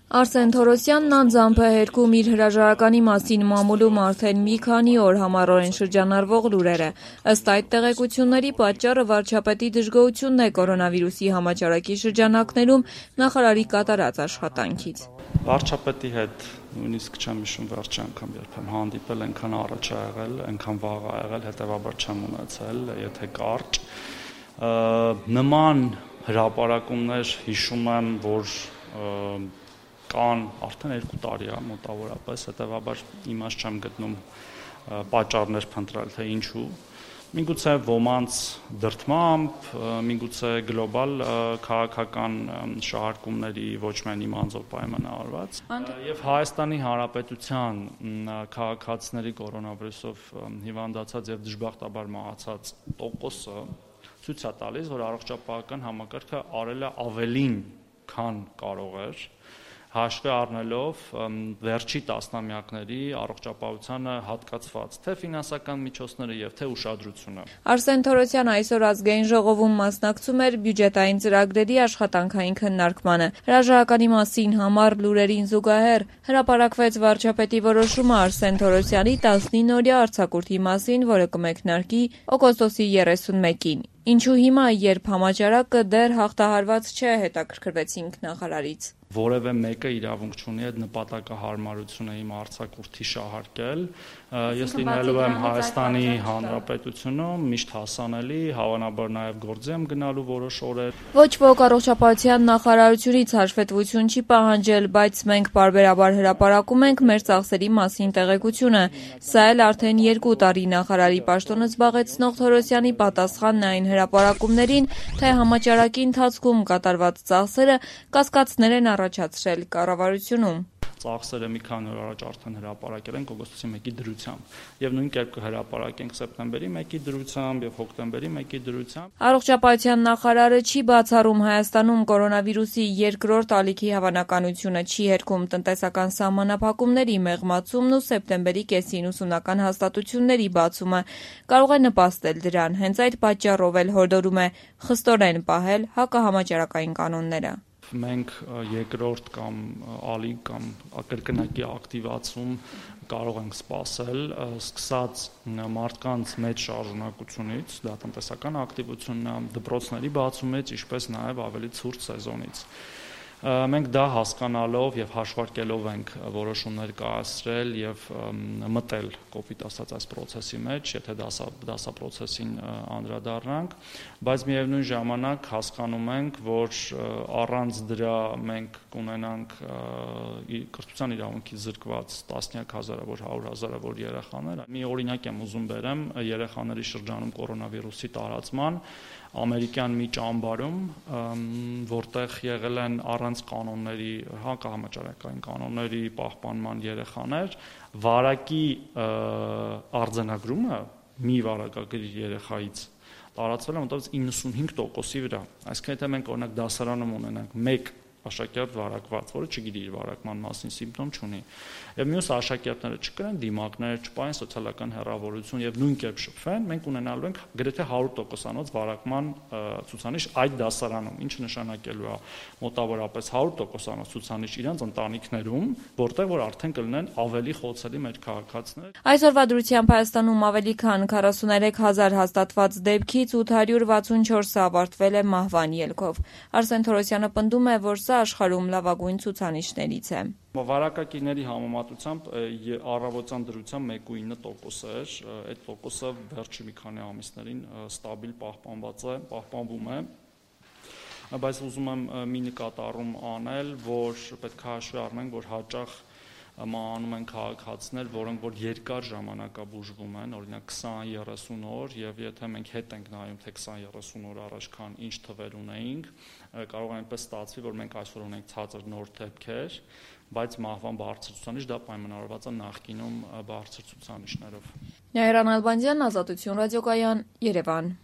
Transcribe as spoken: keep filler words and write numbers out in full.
Արսեն Թորոսյանն անձամբ է հերքում իր հրաժարականի մասին մամուլում արդեն մի քանի օր համառորեն շրջանառվող լուրերը։ Ըստ այդ տեղեկությունների պատճառը վարչապետի դժգոհությունն է կորոնավիրուսի համաճարակի շրջանակներում նախարարի կատարած աշխատանքից։ Վարչապետի հետ նույնիսկ չեմ հիշում վերջի անգամ երբեմ հանդիպել, այնքան առաջ ա եղել, այնքան վաղ ա եղել, հետևաբար չեմ ունեցել, եթե կարճ։ Նման հրապարակումներ հիշում եմ, որ կան արդեն երկու տարի է մոտավորապես, հետևաբար իմաստ չեմ գտնում պատճառներ փնտրել, թե ինչու։ Միգուցե ոմանց դրդմամբ, միգուցե գլոբալ քաղաքական շահարկումների ոչ միայն իմ անձով պայմանավորված, եւ Հայաստանի Հանրապետության քաղաքացիների կորոնավիրուսով հիվանդացած եւ դժբախտաբար մահացած տոկոսը ցույց է տալիս, որ առողջապահական համակարգը արել է ավելին, քան կարող էր, հաշվի առնելով վերջի տասնամյակների առողջապահությանը հատկացված թե ֆինանսական միջոցները եւ թե ուշադրությունը։ Արսեն Թորոսյանը այսօր ազգային ժողովում մասնակցում էր բյուջետային ծրագրերի աշխատանքային քննարկմանը։ Հրաժարականի մասին համառ լուրերին զուգահեռ հրապարակվեց վարչապետի որոշումը Արսեն Թորոսյանի տասնինօրյա արձակուրդի մասին, որը կմեկնարկի օգոստոսի երեսունմեկին։ Ինչու հիմա, երբ համաճարակը դեռ հաղթահարված չէ, հետաքրքրվեցինք նախարարից։ Որևէ մեկը իրավունք չունի այդ նպատակահարմարությունը իմ արձակուրդի շահարկել։ Ես լինելու եմ Հայաստանի Հանրապետությունում միշտ հասանելի, հավանաբար նաև գործի եմ գնալու որոշ օրեր։ Ոչ ոք առողջապահության նախարարությունից հաշվետվություն չի պահանջել, բայց մենք պարբերաբար հրապարակում ենք մեր ծախսերի մասին տեղեկությունը։ Սա էլ արդեն երկու տարի նախարարի պաշտոնը զբաղեցնող Թորոսյանի պատասխանն այն հրապարակումներին, թե համաճարակի ընթացքում կատարված ծախսերը կասկածներ են առաջացրել կառավարությունում։ Ծախսերը մի քանի օր առաջ արդեն հրապարակել ենք օգոստոսի մեկի դրությամբ եւ նույն կերպ կհրապարակենք սեպտեմբերի մեկի դրությամբ եւ հոկտեմբերի մեկի դրությամբ։ Առողջապահության նախարարը չի բացառում Հայաստանում կորոնավիրուսի երկրորդ ալիքի հավանականությունը, չի հերքում տնտեսական սահմանափակումների մեղմացումն ու սեպտեմբերի կեսին ուսումնական հաստատությունների բացումը կարող է նպաստել դրան։ Հենց այդ պատճառով էլ հորդորում է խստորեն պահել հակահամաճարակային կանոնները։ Մենք երկրորդ կամ ալիք կամ կրկնակի ակտիվացում կարող ենք սպասել, սկսած մարդկանց մեծ շարժունակությունից, դա տնտեսական ակտիվությունն է, դպրոցների բացումից, ինչպես նաև ավելի ցուրտ սեզոնից։ Մենք դա հասկանալով եւ հաշվարկելով ենք որոշումներ կայացրել եւ մտել կոպիտ ասած այս process-ի մեջ, եթե դասա դասա process-ին անդրադառնանք, բայց միևնույն ժամանակ հասկանում ենք, որ առանց դրա մենք կունենանք կրթության իրավունքից զրկված տասնյակ հազարավոր, հարյուր հազարավոր երեխաներ։ Մի օրինակ եմ ուզում բերեմ երեխաների շրջանում կորոնավիրուսի տարածման ամերիկյան մի ճամբարում, որտեղ եղել են առանց կանոնների, հակահամաճարակային կանոնների պահպանման երեխաներ, վարակի արձանագրումը մի վարակագրի երեխայից տարածվել է մոտավորապես իննսունհինգ տոկոսի վրա։ Այսինքն եթե մենք օրինակ դասարանում ունենանք մեկ աշակերտ վարակված, որը չգիտի իր վարակման մասին սիմպտոմ չունի, եւ մյուս աշակերտները չկրեն դիմակներ, չպային սոցիալական հեռավորություն եւ նույն կերպ շփվեն, մենք ունենալու ենք գրեթե հարյուր տոկոսանոց վարակման ցուցանիշ այդ դասարանում, ինչը նշանակելու է մոտավորապես հարյուր տոկոսանոց ցուցանիշ իրանց ընտանիքներում, որտեղ որ արդեն կլինեն ավելի խոցելի մեր քաղաքացիներ։ Այսօրվա դրությամբ Հայաստանում ավելի քան քառասուններեք հազար հաստատված դեպքից ութ հարյուր վաթսունչորսը ավարտվել է մահվան ելքով։ Արսեն Թորոսյանը պնդում է, որ սա աշխարհում լավագույն ցուցանիշներից է։ Վարակագիրների համեմատությամբ առավոտյան դրությամբ մեկ կόμma ինը տոկոս էր, այդ տոկոսը վերջի մի քանի ամիսներին ստաբիլ պահպանված է, պահպանվում է, բայց ուզում եմ մի նկատառում անել, որ պետք է հաշվի առնենք, որ հաճախ մահանում են քաղաքացիներ, որոնք որ երկար ժամանակաբուժվում են, օրինակ քսան երեսուն օր, եւ եթե մենք հետ ենք նայում, թե քսան երեսուն օր առաջ քան ինչ թվեր ունեինք, կարող է այնպես ստացվի, որ մենք այսօր ունենք ցածր նոր դեպքեր, բայց մահվան բարձր ցուցանիշ դա պայմանավորված է նախկինում բարձր ցուցանիշներով։ Նաիրա Նալբանդյան, Ազատություն ռադիոկայան, Երևան։